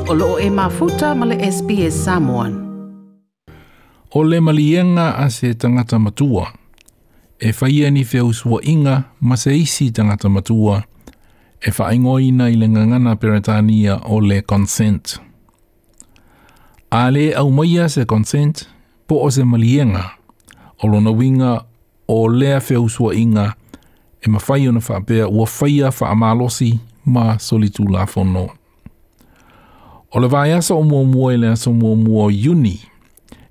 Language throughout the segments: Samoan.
O loo e mafuta ma le SBS Samoan. O le maliega a se tagata matua, e faia ni feusuaiga ma se isi tagata matua, e faaigoaina i le gagana Peretania o le consent. A le aumaia se consent po o se maliega, o lona uiga o lea feusuaiga e mafai ona faapea ua faia faamalosi ma solitulafono. O le vaiaso o muamua i le aso muamua o Iuni,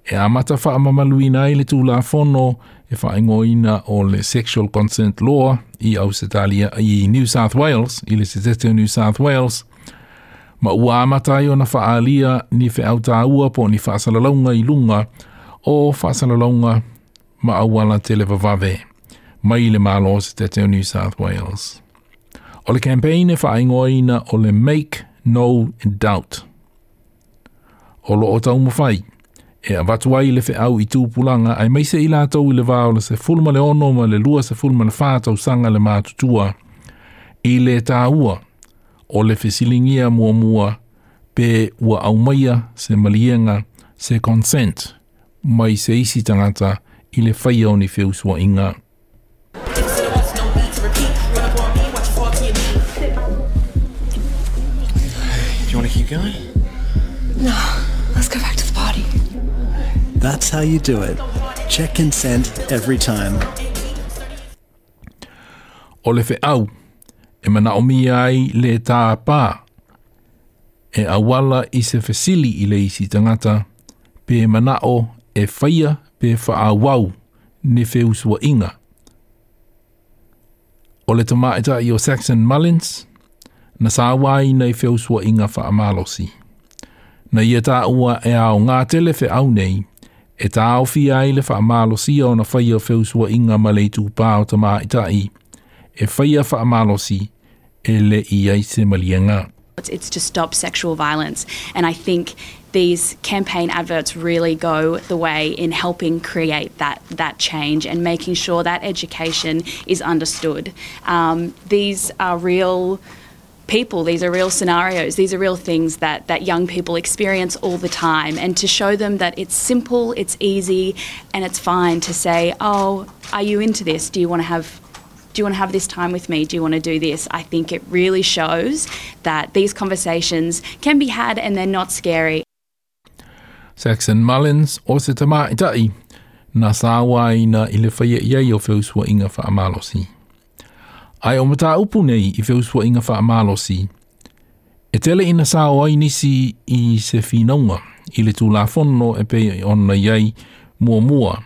e amata faamamaluina ai le Tulafono e faaigoaina o le Sexual Consent Law i Ausetalia i New South Wales, i le Setete o New South Wales, ma ua amata ai ona faaalia ni feau taua po o ni faasalalauga i luga o faasalalauga ma auala televavave mai le Malo o Setete o New South Wales. O le campaign e faaigoaina o le Make No Doubt. O lo o taumafai e avatu ai le feau i tupulaga aemaise i latou i le va o le 16 ma le 24 tausaga le matutua i le taua o le fesiligia muamua pe ua aumaia se maliega se consent mai se isi tagata i le faia o ni feusuaiga. Do you want to keep going? No, let's go back to the party. That's how you do it. Check consent every time. O le feau e manaomia ai le tāpā e auala i se fesili i le isi tagata pe manao e faia pe faaauau ni feusuaiga. O le tamaitai o Saxon Mullins, na sauaina i feusuaiga faamalosi. Na ia taua e aoga tele feau nei, e taofia ai le faamalosia ona faia feusuaiga ma le itupā o tamaitai, e faia faamalosi e le i ai se maliega. It's to stop sexual violence. And I think these campaign adverts really go the way in helping create that, that change and making sure that education is understood. Um, these are real people, these are real scenarios, these are real things that, that young people experience all the time. And to show them that it's simple, it's easy, and it's fine to say, oh, are you into this? Do you want to have do you want to have this time with me? Do you want to do this? I think it really shows that these conversations can be had and they're not scary. Saxon Mullins o se tamaitai na sauaina i le faia i ai o feusuaiga faamalosi. Ae o mataupu nei i feusuaiga faamalosi, e tele ina sao ai nisi i se finauga i le Tulafono e pei ona i ai muamua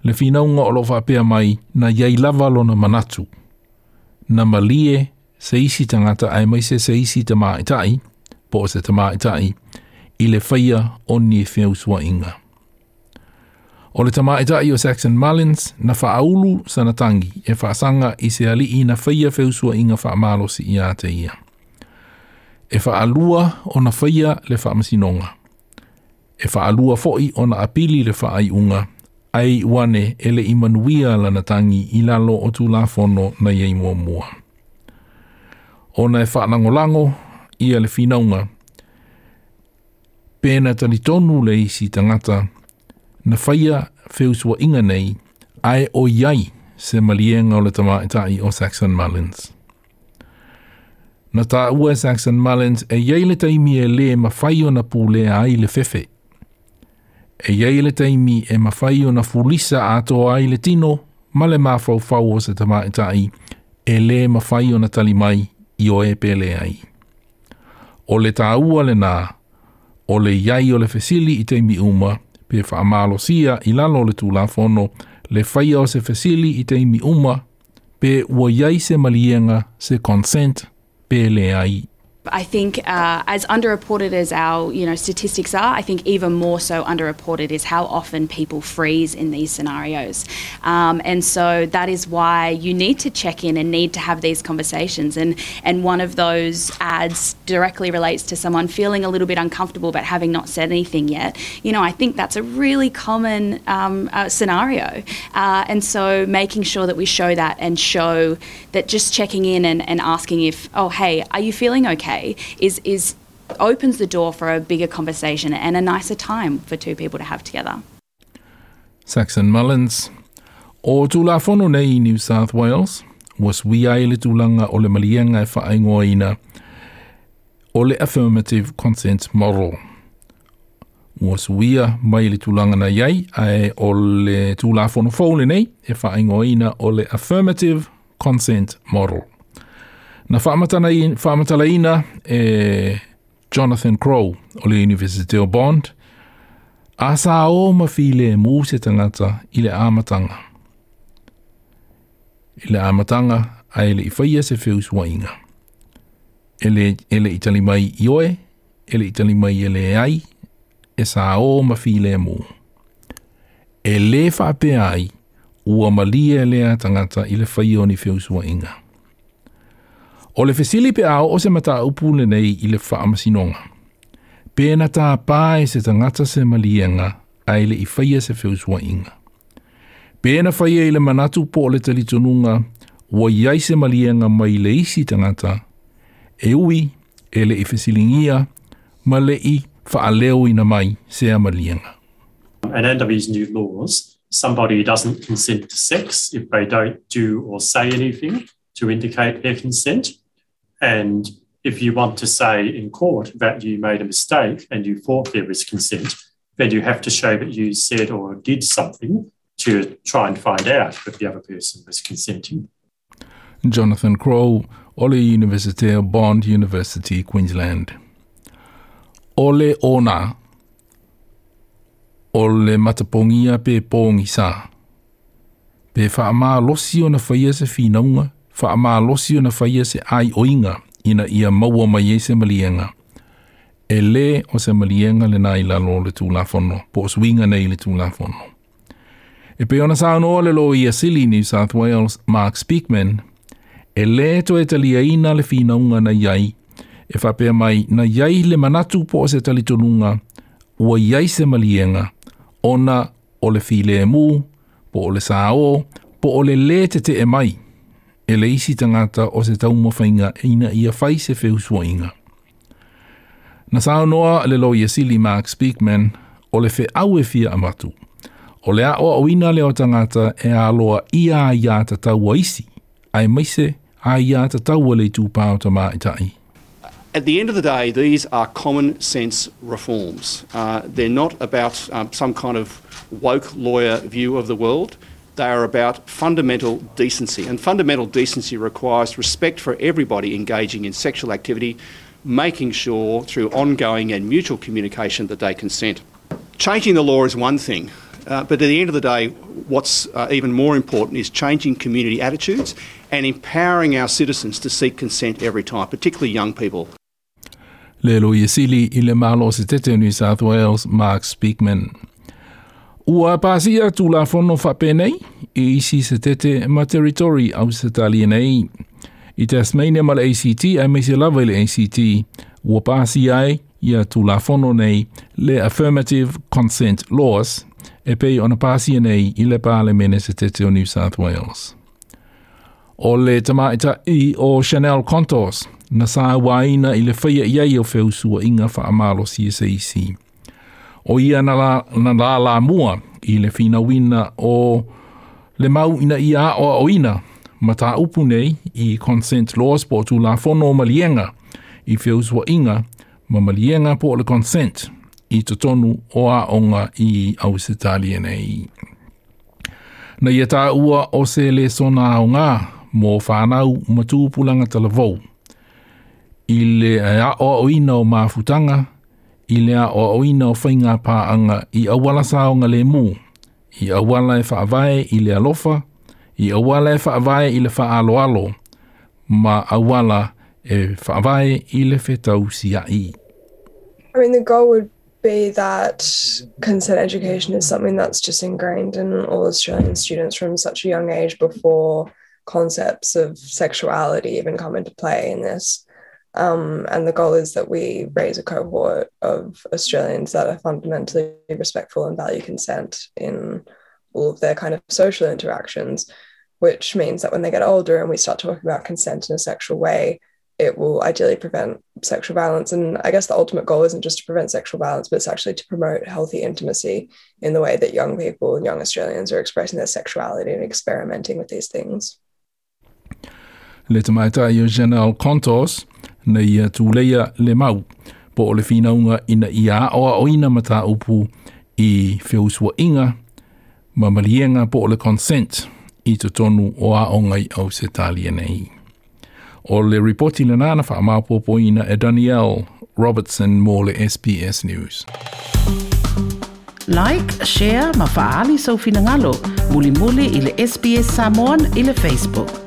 le finauga o lo o faapea mai na i ai lava lona manatu, na malie se isi tagata aemaise se isi tamaitai, po o se tamaitai, i le faia o ni feusuaiga. O le tamaitai o Saxon Mullins na faaulu sana tagi e faasaga i se alii na faia feusuaiga faamalosi ia te ia. E faalua ona faia le faamasinoga. E faalua foi ona apili le faaiuga, ae iu ane e le i manuia lana tagi i lalo o Tulafono na i ai muamua. Ona e faalagolago ia le finauga, pe na talitonu le isi tagata na faia feusuaiga nei, ae o i ai se maliega o le tamaitai o Saxon Mullins. Na taua e Saxon Mullins e i ai le taimi e lē mafai ona pulea ai le fefe. E i ai le taimi e mafai ona fulisa atoa ai le tino ma le mafaufau o se tamaitai e lē mafai ona tali mai ioe pe leai. O le taua lenā, o le i ai o le fesili i taimi uma, pe faamalosia i lalo o le Tulafono le faia o se fesili i taimi uma, pe ua i ai se maliega, se consent, pe leai. I think uh, as underreported as our you know statistics are, I think even more so underreported is how often people freeze in these scenarios. Um, and so that is why you need to check in and need to have these conversations. And, and one of those ads directly relates to someone feeling a little bit uncomfortable but having not said anything yet. You know, I think that's a really common um, uh, scenario. Uh, and so making sure that we show that and show that just checking in and, and asking if, oh, hey, are you feeling okay, is, is opens the door for a bigger conversation and a nicer time for two people to have together. Saxon Mullins. O Tulafono nei i New South Wales, ua suia ai le tulaga o le maliega e faaigoaina o le Affirmative Consent Model. Ua suia mai le tulaga na i ai, ae o le Tulafono fou lenei e faaigoaina o le Affirmative Consent Model. Na faamatalaina e Jonathan Crow o le Universite o Bond, a sa o ma filemu se tagata i le amataga. I le amataga ae le i faia se feusuaiga. E le, e le i tali mai ioe, e le i tali mai e leai, e sa o ma filemu. E lē faapea ai ua malie lea tagata i le faia o ni feusuaiga. O le fesili pe a oo se mataupu lenei i le faamasinoga. Pe na tāpā e se tagata se maliega ae le i faia se feusuaiga. Pe na faia i le manatu po o le talitonuga ua i ai se maliega mai le isi tagata, e ui e le i fesiligia ma le i faaleoina mai sea maliega. And under these new laws, somebody doesn't consent to sex if they don't do or say anything to indicate their consent. And if you want to say in court that you made a mistake and you thought there was consent, then you have to show that you said or did something to try and find out if the other person was consenting. Jonathan Crow o le Universite o Bond University, Queensland. O le ona, o le matapogia pe pogisa. Pe faamalosi ona faia se finauga, faamalosi ona faia se aioiga ina ia maua mai ai se maliega. E lē o se maliega lenā i lalo o le Tulafono, po o suiga nei i le Tulafono. E pei ona saunoa le Loia Sili New South Wales, Mark Speakman, e lē toe taliaina le finauga na i ai, e faapea mai na i ai le manatu po o se talitonuga ua i ai se maliega ona o le filemu, po o le saō, po o le lē tete'e mai e le isi tagata o se taumafaiga ina ia fai se feusuaiga. Na saunoa le Loia Sili Mark Speakman o le feau e fia avatu, o le aoaoina lea o tagata e aloaia aiā tatau a isi, aemaise aiā tatau a le itupa o tamaitai. At the end of the day, these are common sense reforms. They're not about some kind of woke lawyer view of the world. They are about fundamental decency. And fundamental decency requires respect for everybody engaging in sexual activity, making sure through ongoing and mutual communication that they consent. Changing the law is one thing, but at the end of the day, what's even more important is changing community attitudes and empowering our citizens to seek consent every time, particularly young people. Le Loia Sili i le Malo Setete o New South Wales, Mark Speakman. Ua pasia Tulafono faapenei i isi Setete ma Territory Ausetalia nei. I Tasmania ma le ACT, aemaise lava i le ACT, ua pasia ai ia Tulafono nei le Affirmative Consent Laws e pei ona pasia nei i le Palemene Setete o New South Wales. O le tamaitai o Chanel Contos, na sauaina i le faia i ai o feusuaiga faamalosi e se isi. O ia na la, na lalamua i le finauina o le mau ina ia aoaoina mataupu nei i consent laws po o Tulafono o maliega i feusuaiga ma maliega po o le consent i totonu o aoga i Ausetalia nei. Na ia taua o se lesona aoga mo whānau ma tupulaga talavou i le aoaoina o mafutaga, i le aoaoina o faiga paaga i auala saogalemu, i auala e faavae i le alofa, i auala e faavae i le faaaloalo, ma auala e faavae i le fetausia'i. I mean, the goal would be that consent education is something that's just ingrained in all Australian students from such a young age before concepts of sexuality even come into play in this. And the goal is that we raise a cohort of Australians that are fundamentally respectful and value consent in all of their kind of social interactions, which means that when they get older and we start talking about consent in a sexual way, it will ideally prevent sexual violence. And I guess the ultimate goal isn't just to prevent sexual violence, but it's actually to promote healthy intimacy in the way that young people and young Australians are expressing their sexuality and experimenting with these things. Le tamaitai o Janelle Contos na ia tuleia le mau po o le finauga ina ia aoaoina mataupu i feusuaiga ma maliega po o le consent i totonu o aoga i Ausetalia nei. O le ripoti lena na faamaopoopoina e Danielle Robertson mo le SBS News. Like, share ma faaali sou finagalo. Mulimuli i le SBS Samoan i le Facebook.